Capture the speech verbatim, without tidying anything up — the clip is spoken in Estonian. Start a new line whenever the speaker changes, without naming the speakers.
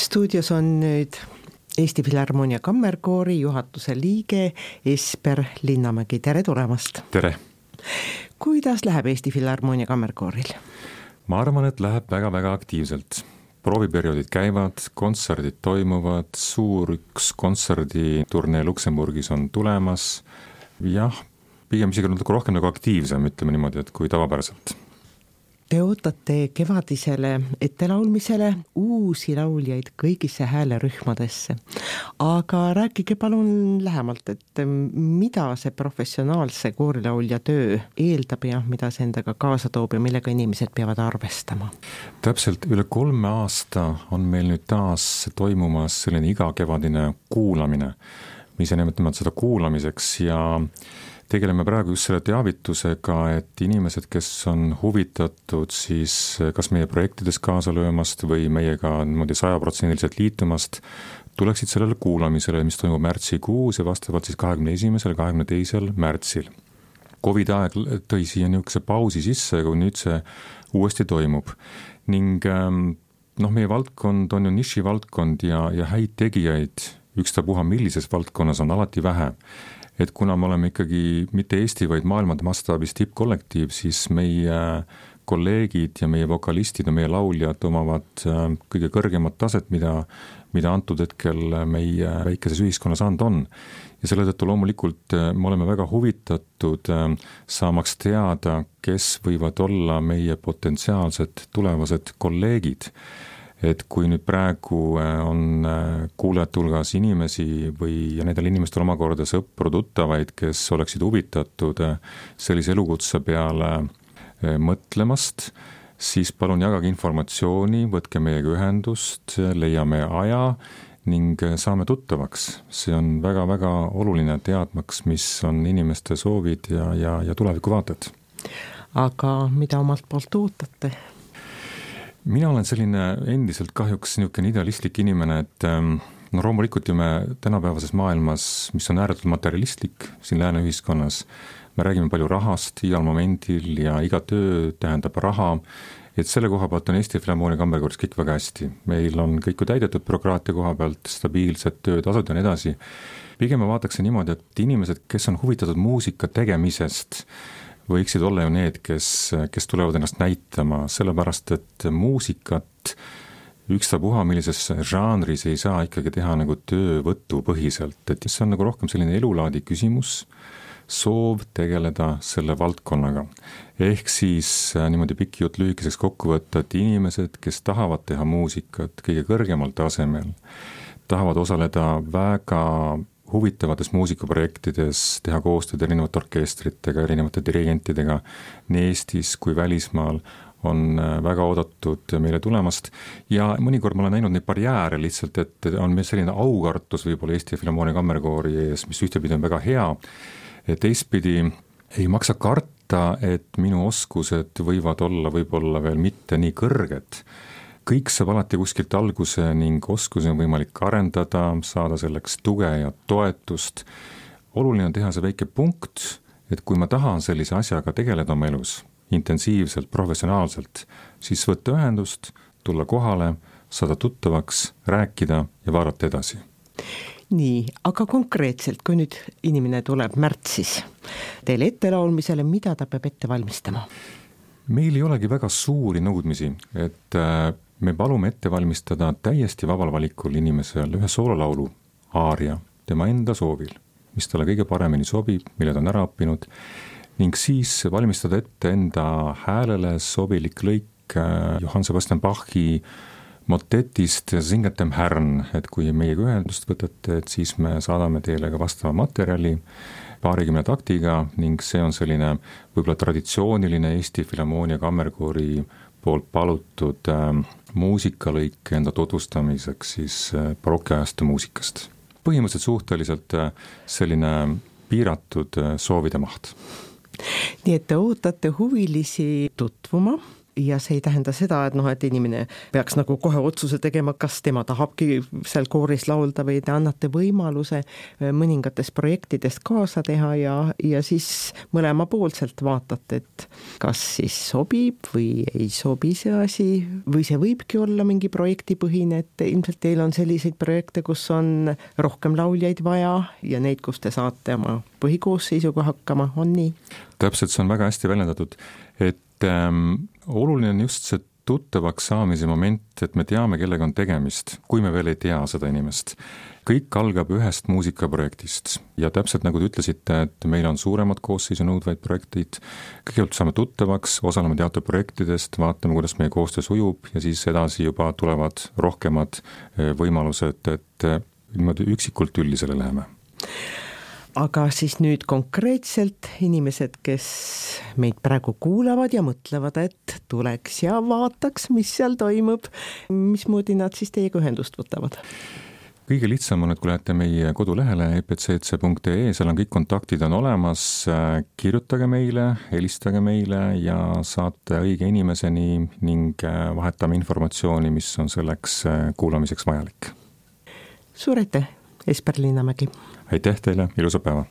Stuudios on nüüd Eesti Filharmoonia Kammerkoori juhatuse liige Esper Linnamägi. Tere tulemast!
Tere!
Kuidas läheb Eesti Filharmoonia Kammerkooril?
Ma arvan, et läheb väga-väga aktiivselt. Prooviperioodid käivad, kontserdid toimuvad, suur üks kontserditurnee Luksemburgis on tulemas. Jah, pigem isegi natuke rohkem nagu aktiivsem, ütleme niimoodi, et kui tavapäraselt.
Te ootate kevadisele ettelaulmisele uusi lauljaid kõigisse häälerühmadesse. Aga rääkige palun lähemalt, et mida see professionaalse koorilaulja töö eeldab ja mida see endaga kaasa toob ja millega inimesed peavad arvestama?
Täpselt üle kolme aasta on meil nüüd taas toimumas selline igakevadine kuulamine. Me ise nimetame seda kuulamiseks ja tegeleme praegu just selle teavitusega, et inimesed, kes on huvitatud siis kas meie projektides kaasa löömast või meiega niimoodi sajaprotsendiliselt liitumast, tuleksid sellele kuulamisele, mis toimub märtsikuus ja vastavalt siis kahekümne esimesel ja kahekümne teisel märtsil. Covid aeg tõi siia niisuguse pausi sisse, kui nüüd see uuesti toimub. Ning noh, meie valdkond on ju niši valdkond ja, ja häid tegijaid ükstapuha millises valdkonnas on alati vähe. Et kuna me oleme ikkagi mitte Eesti, vaid maailmade mastaabis tippkollektiiv, siis meie kolleegid ja meie vokalistid ja meie lauljad omavad kõige kõrgemat taset, mida, mida antud hetkel meie väikeses ühiskonnas and on. Ja selle tõttu loomulikult me oleme väga huvitatud saamaks teada, kes võivad olla meie potentsiaalsed tulevased kolleegid. Et kui nüüd praegu on kuulajate hulgas inimesi või ja nendel inimestel omakorda sõpru tuttavaid, kes oleksid huvitatud sellise elukutse peale mõtlemast, siis palun jagage informatsiooni, võtke meiega ühendust, leiame aja ning saame tuttavaks. See on väga-väga oluline teadmaks, mis on inimeste soovid ja, ja, ja tulevikuvaated.
Aga mida omalt poolt ootate?
Mina olen selline endiselt kahjuks niisugune idealistlik inimene, et no loomulikult ju me tänapäevases maailmas, mis on ääretult materialistlik siin lääne ühiskonnas, me räägime palju rahast igal momendil ja iga töö tähendab raha, et selle koha pealt on Eesti Filharmoonia Kammerkooris kõik väga hästi. Meil on kõik ju täidetud bürokraatia koha pealt, stabiilsed töötasud ja nii edasi. Pigem ma vaataks niimoodi, et inimesed, kes on huvitatud muusika tegemisest, võiksid olla ju need, kes, kes tulevad ennast näitama, sellepärast, et muusikat ükstapuha millises žanris ei saa ikkagi teha nagu töövõtu põhiselt, et see on nagu rohkem selline elulaadi küsimus, soov tegeleda selle valdkonnaga. Ehk siis niimoodi pikk jutt lühikeseks kokku võtta, et inimesed, kes tahavad teha muusikat kõige kõrgemal tasemel, tahavad osaleda väga huvitavates muusikaprojektides, teha koostööd erinevate orkestritega, erinevate dirigentidega nii Eestis kui välismaal on väga oodatud meile tulemast ja mõnikord ma olen näinud neid barjääre lihtsalt, et on meil selline aukartus võib-olla Eesti Filharmoonia Kammerkoori ees, mis ühtepidi on väga hea, et teistpidi ei maksa karta, et minu oskused võivad olla võib-olla veel mitte nii kõrged. Kõik saab alati kuskilt alguse ning oskusi on võimalik arendada, saada selleks tuge ja toetust. Oluline on teha see väike punkt, et kui ma tahan sellise asjaga tegeleda oma elus intensiivselt, professionaalselt, siis võtta ühendust, tulla kohale, saada tuttavaks, rääkida ja vaadata edasi.
Nii, aga konkreetselt, kui nüüd inimene tuleb märtsis teile ettelaulmisele, mida ta peab ette valmistama?
Meil ei olegi väga suuri nõudmisi, et me palume ette valmistada täiesti vabal valikul inimesel ühe soololaulu aaria tema enda soovil, mis talle kõige paremini sobib, mille ta on ära õppinud, ning siis valmistada ette enda häälele sobilik lõik Johann Sebastian Bachi motetist Singet dem Herrn, et kui meiega ühendust võtate, et siis me saadame teile ka vastava materjali paarikümne taktiga ning see on selline võib-olla traditsiooniline Eesti Filharmoonia Kammerkoori poolt palutud äh, muusikalõik enda tutvustamiseks siis äh, barokiajastu muusikast. Põhimõtteliselt suhteliselt äh, selline piiratud äh, soovide maht.
Nii et te ootate huvilisi tutvuma ja see ei tähenda seda, et noh, et inimene peaks nagu kohe otsuse tegema, kas tema tahabki seal kooris laulda või te annate võimaluse mõningatest projektidest kaasa teha ja, ja siis mõlemapoolselt vaatate, et kas siis sobib või ei sobi see asi või see võibki olla mingi projektipõhine, et ilmselt teil on selliseid projekte, kus on rohkem lauljaid vaja ja neid, kus te saate oma põhikoosseisuga hakkama, on nii?
Täpselt, see on väga hästi väljendatud, et ähm, oluline on just see tuttavaks saamise moment, et me teame, kellega on tegemist, kui me veel ei tea seda inimest. Kõik algab ühest muusikaprojektist ja täpselt nagu te ütlesite, et meil on suuremad koosseisu nõudvaid projektid, kõigepealt saame tuttavaks, osaleme teatud projektidest, vaatame, kuidas meie koostöö sujub ja siis edasi juba tulevad rohkemad võimalused, et niimoodi üksikult üldisele läheme.
Aga siis nüüd konkreetselt inimesed, kes meid praegu kuulavad ja mõtlevad, et tuleks ja vaataks, mis seal toimub, mismoodi nad siis teiega ühendust võtavad?
Kõige lihtsam on, et kui lähete meie kodulehele e p c c punkt e e, seal on kõik kontaktid on olemas, kirjutage meile, helistage meile ja saate õige inimeseni ning vahetame informatsiooni, mis on selleks kuulamiseks vajalik.
Suur aitäh, Esper Linnamägi!
Aitäh teile, ilusa päeva!